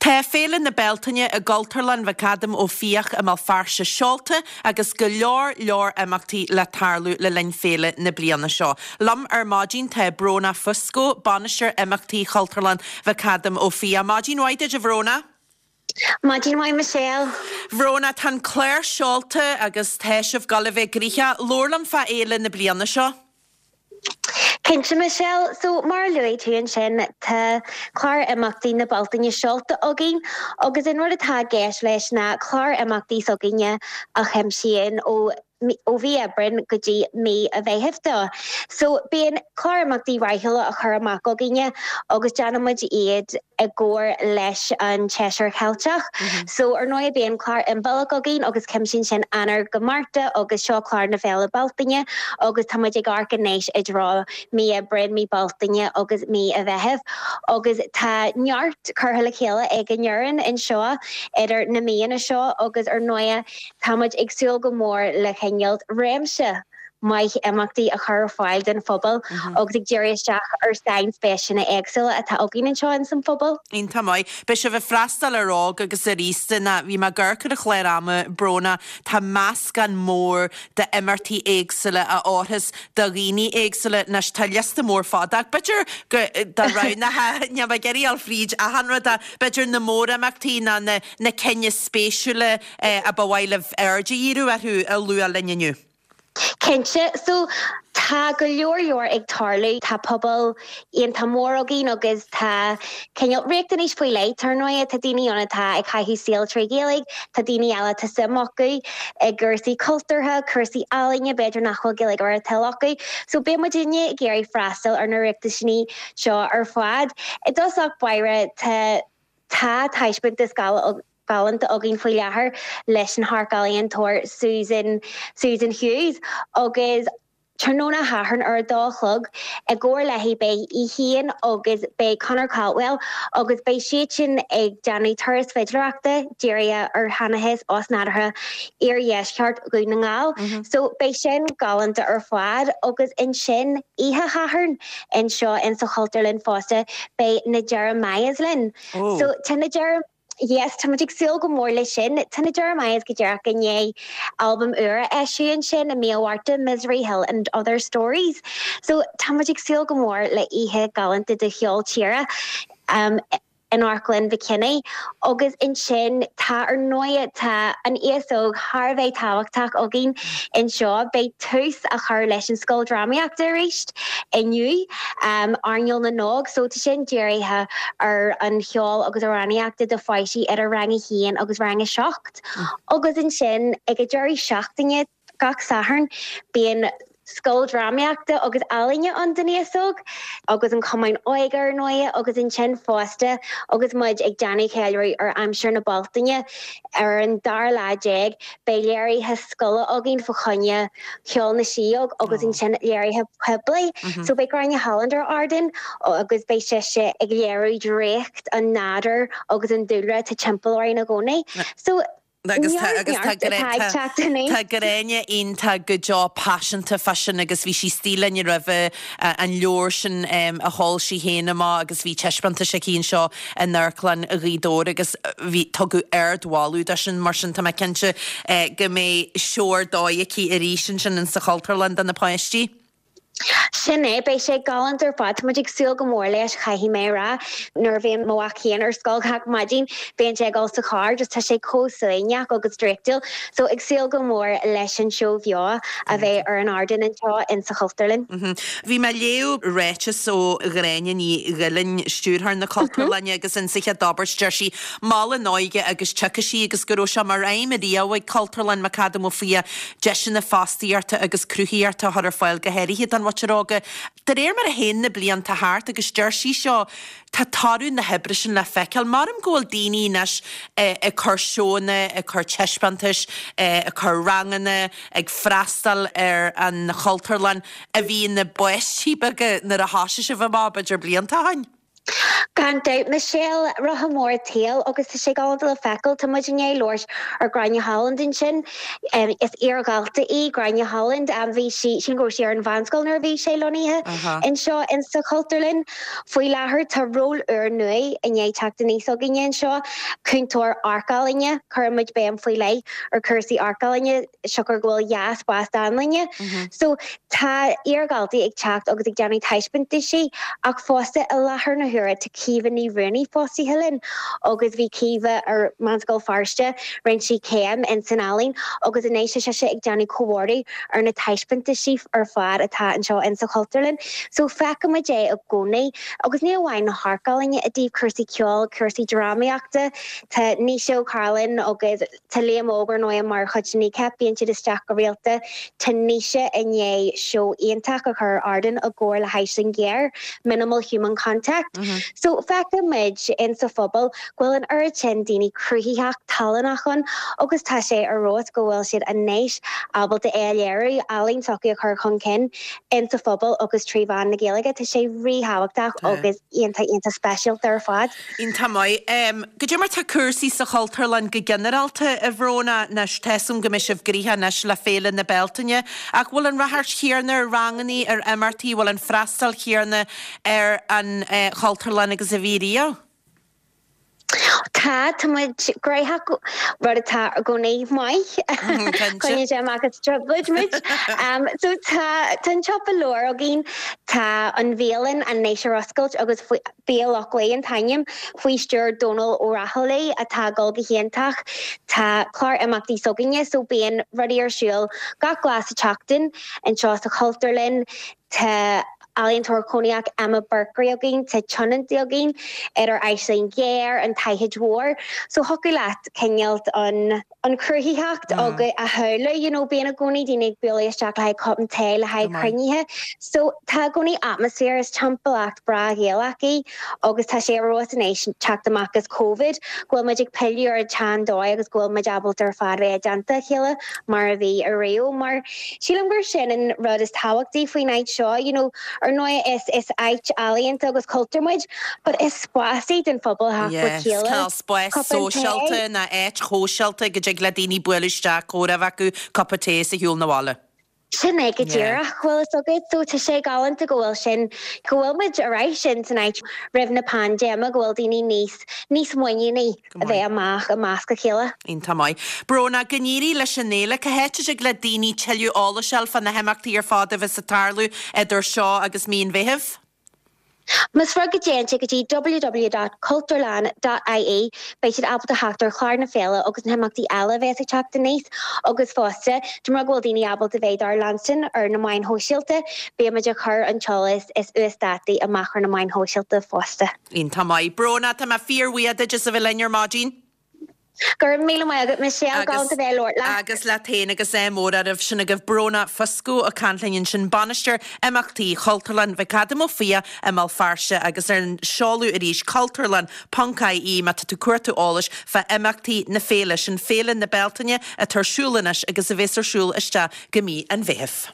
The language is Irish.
Tá Féile na Bealtaine i gCultúrlann McAdam Ó Fiaich i mBéal Feirste seolta agus go leor leor imeachtaí le tarlú le linn féile na bliana seo. Liom ar maidin tá Bróna Fusco, Bainisteoir Imeachtaí Chultúrlann McAdam Ó Fiaich. Maidin mhaith duit a Bhróna. Maidin mhaith Michelle. Bhróna, tá an clár seolta agus tá sibh ag dul a bheith gnoitheach. Labhair liom fá fhéile na bliana seo. Cinnte Michelle, so mar a luaigh tú ansin tá clár imeachtaí na Bealtaine seolta againn agus an rud atá i gceist leis ná clár imeachtaí s'againne a chuimsíonn ó ó mhí Aibreáin go dtí mí an Mheithimh dó. So bíonn clár imeachtaí ráithiúla á chur amach againne agus déanann muid iad i gcomhar leis an tSéasúr Cheilteach. So, ar ndóigh, bíonn clár inmheánach againn agus cuimsíonn sin Eanáir go Márta agus seo clár na Féile Bealtaine agus tá muid ag amharc anois i dtreo mí Aibreáin, mí Bealtaine agus mí an Mheithimh agus tá neart curtha le chéile ag an fhoireann anseo idir na míonna seo agus ar ndóigh tá muid ag súil go mór le cineál réimse maith imeachtaí a chur ar fáil don phobal agus ag díriú isteach ar sainspéiseanna éagsúla atá againn anseo ins an phobal. Iontach maith. Beidh sibh ag freastal ar óg agus ar aosta ná bhí mé ag amharc ar an chlár ama, Bróna, tá meascán mór d'imeachtaí éagsúla a fhóirfeas do dhaoine éagsúla. Anois tá liosta mór fada ach b'fhéidir go dá roghnófá, níl mé ag iarraidh a dhul fríd achan rud ach b'fhéidir na mórimeachtaí ná na na cinn is spéisiúla a ba mhaith libh aird a dhíriú orthu a lua linn inniu. Cinnte. So, tá go leor leor ag tarlú. Tá pobal iontach mór againn agus tá cineál riachtanais faoi leith ar ndóigh. Tá daoine ann atá ag caitheamh saol trí Ghaeilge, tá daoine eile atá suim acu i gcúrsaí cultúrtha, cúrsaí ealaíne, b'fhéidir nach bhfuil Gaeilge ar a dtoil acu. So beidh muidinne ag iarraidh freastal ar na riachtaisní seo ar fad. I dtosach báire tá Tá taispeántas galánta againn faoi láthair leis an amharc-ealaíontóir Susan Susan Hughes agus tráthnóna Shathairn ar a dó a chlog i gcomhar léi beidh í féin agus beidh Conor Caldwell agus beidh siadsan ag déanamh turas fidléireachta dírithe ar sheanchas osnádúrtha iardheisceart Dhún na nGall. So beidh sin galánta ar fad agus ansin oíche Shathairn anseo in sa Chultúrlann fosta beidh na Jeremiahs linn. So tá na Jer yes tá muid ag súil go mór leis sin. Tá na Jeremiahs go díreach i ndiaidh albam úr a eisiú ansin i mí an Mhárta, Misery Hill and Other Stories. So tá muid ag súil go mór le oíche galánta de cheol tíre. Um, in Amharclann McKinney agus ansin tá ar ndóigh tá an aos óg thar a bheith tábhachtach againn anseo. Beidh tús á chur leis an Scoil Drámaíochta arís inniu, Airneál na nÓg, so tá sin dírithe ar an cheol agus amhránaíochta do pháistí idir rang a haon agus rang a 7. Agus ansin ag an deireadh seachtaine, Gach Satharn bíonn scoil drámaíochta agus ealaíne ann don aos óg agus an Cumann Óige ar ndóigh agus ansin fosta agus muid ag déanamh ceiliúradh ar aimsir na Bealtaine ar an dara lá déag beidh léirithe scoile againn fá choinne Cheol na Sidheog agus ansin léirithe poiblí. So beidh Gráinne Holland ar ardán agus beidh sise ag léiriú draíocht an nádúir agus an dúlra atá timpeall orainn i gcónaí. So Agus tá agus tá tá Gráinne iontach go deo paiseanta fá sin agus bhí sí istigh linn roimhe an leabhar sin a d'fhoilsigh sí féin amach agus bhí taispeántas aici anseo in Amharclann Ghaoth Dobhair agus bhí tugadh ardmholadh dó sin mar sin tá mé cinnte go mbeidh seó ar dóigh aici arís ansin in sa Chultúrlann do na páistí. Sin é, beidh sé galánta ar fad. Tá muid ag súil go mór leis, caithfidh mé a rá. Nuair a bhíonn mo mhac féin ar scoil gach maidin, bíonn sé ag dul sa charr, just tá sé chomh suaimhneach agus draíochtúil. So ag súil go mór leis an seó bheo a bheidh ar an ardán anseo in sa Chultúrlann. Bhí mé ag léamh ráiteas ó Ghráinne Ní Ghuilinn, Stiúrthóir na Cultúrlainne agus insa chéad abairt deir sí, Mol an óige agus tiocfaidh sí agus go raibh sé mar aidhm riamh ag Cultúrlann McAdam Ó Fiaich deiseanna fostaíochta agus cruthaíochta a chur ar fáil, go háirithe don mhuintir óga. De réir mar a théann na blianta thart, agus deir sí seo, tá toradh na hoibre sin le feiceáil. Maram go bhfuil daoine anois ag cur seónna, ag cur taispeántais, ag cur ranganna, ag freastal ar an Chultúrlann a bhí ina bpáistí beaga nuair a thosaigh sibh amach, b'fhéidir blianta ó shin. Gan dabht, Michelle, rotha mór an tsaoil agus tá sé galánta le feiceáil. Tá muid i ndiaidh labhairt ar Gráinne Holland ansin. Is iar-dhalta í Gráinne Holland. Bhí sí, sílim go raibh sí ar an mheánscoil nuair a bhí sé lonnaithe anseo insa Chultúrlann. Faoi láthair tá ról úr nua i ndiaidh teacht aníos againne anseo, cúntóir amharc-ealaíne. Cuireann muid béim faoi leith ar chúrsaí amharc-ealaíne. siocair go bhfuil 2 spás dánlainne. So tá iar-dhaltaí ag teacht agus ag déanamh taispeántaisí ach fosta i láthair na huaire tá Caoimhe Ní Ruanaí fostaithe linn agus bhí Caoimhe ar Meánscoil Feirste, rinne sí céim in san ealaín agus anois tá sise ag déanamh comhordú ar na taispeántaisí ar fad atá anseo in sa Chultúrlann. So feicimid é i gcónaí agus ní amháin na hamharc-ealaíne i dtaobh cúrsaí ceoil, cúrsaí drámaíochta, tá Naoise Ó Cairealláin agus. Tá Liam Óg ar ndóigh mar chuid de Kneecap, bíonn siad isteach go rialta. Tá Naoise i ndiaidh seó iontach a chur ar ardán i gcomhar le hAisling Ghéar, Minimal Human Contact. So feiceann muid in sa phobal go bhfuil an oiread sin daoine cruthaitheach, tallannach ann agus tá sé ar fheabhas go bhfuil siad anois ábalta é a léiriú, ealaín s'acu a chur chun cinn in sa phobal agus trí mheán na Gaeilge. Tá sé ríthábhachtach agus iontach iontach speisialta ar fad. Iontach maith. Goidé mar tá cúrsaí sa Chultúrlann go ginearálta, a Bhróna? Anois, tá 'fhios a'm go mbeidh sibh gnoitheach anois le Féile na Bealtaine, ach bhfuil an ráchairt chéanna ar rangannaí, ar imeachtaí, bhfuil an freastal chéanna ar an Chultúrlann agus a bhí riamh? Tá, tá muid gnoitheach, rud atá i gcónaí maith. Coinníonn sé amach as trioblóid muid. So tá, tá an siopa leabhar againn, tá an bhialann anois ar oscailt agus faoi, Bia Loch Lao an t-ainm, faoi stiúir Dónal Ó Raghallaigh atá ag dul go hiontach. Tá clár imeachtaí s'againne so bíonn rudaí ar siúl gach lá sa tseachtain anseo sa Chultúrlann. Tá ealaíontóir cónaitheach Emma Berkery againn, tá tionóntaí againn idir Aisling Ghéar, an tSaighead Mhór. So thiocfadh leat cineál an. an chruthaitheacht agus a shamhlú, you know, bíonn i gcónaí daoine ag bualadh isteach le haghaidh cupán tae, le haghaidh cruinnithe. So tá i gcónaí atmaisféar is timpeallacht breá Ghaelach í agus tá sé ar fheabhas anois teacht amach as Covid go bhfuil muid ag pilleadh ar an tsean dóigh agus go bhfuil muid ábalta ar fad bheith i dteannta a chéile mar a bhí ariamh mar sílim gur sin an rud is tábhachtaí faoin áit seo, you know, ar ndóigh is is áit ealaíonta agus cultúir muid but is spás í don phobal a theacht le chéile. Yes, cineál spás sóisialta nó áit shóisialta go dtig le daoine bualadh isteach, comhrá a bheith acu, cupa tae is a shiúl 'na bhaile. Sin é go díreach, bhfuil fhios agat. So tá sé galánta go bhfuil sin, go bhfuil muid ar ais in san áit roimh na paindéime, go bhfuil daoine níos, níos muiníní a bheith amach i measc a chéile. Iontach maith. Bróna, go n-éirí leis an fhéile. Cá háit a dtig le daoine tuilleadh eolais a fháil fá na himeachtaí ar fad a bheas ag tarlú idir seo agus mí an Mheithimh? Más rud go dtéann siad go dtí www.cultúrlann.ie beidh siad ábalta theacht ar chlár na féile agus na himeachtaí eile a bheas ag teacht aníos agus fosta, dá mba rud go bhfuil daoine ábalta bheith dár leanstan ar na meáin shóisialta, beidh muid ag cur an t-eolas is uasdátaí amach ar na meáin shóisialta fosta. Iontach maith. Bróna, tá mé fíorbhuíoch duit as a bheith linn ar maidin. Go raibh míle maith agat Michelle, galánta bheith ag labhairt leat. Agus leat féin agus ádh mór oraibh. Sin agaibh Bróna Fusco ag caint linn ansin, Bainisteoir Imeachtaí Chultúrlann McAdam Ó Fiaich i mBéal Feirste agus ar an seoladh arís cultúrlann ponc ie má tá tú ag cuartú eolais fá imeachtaí na féile, sin Féile na Bealtaine atá ar siúl anois agus a bheas ar siúl isteach go mí an Mheithimh.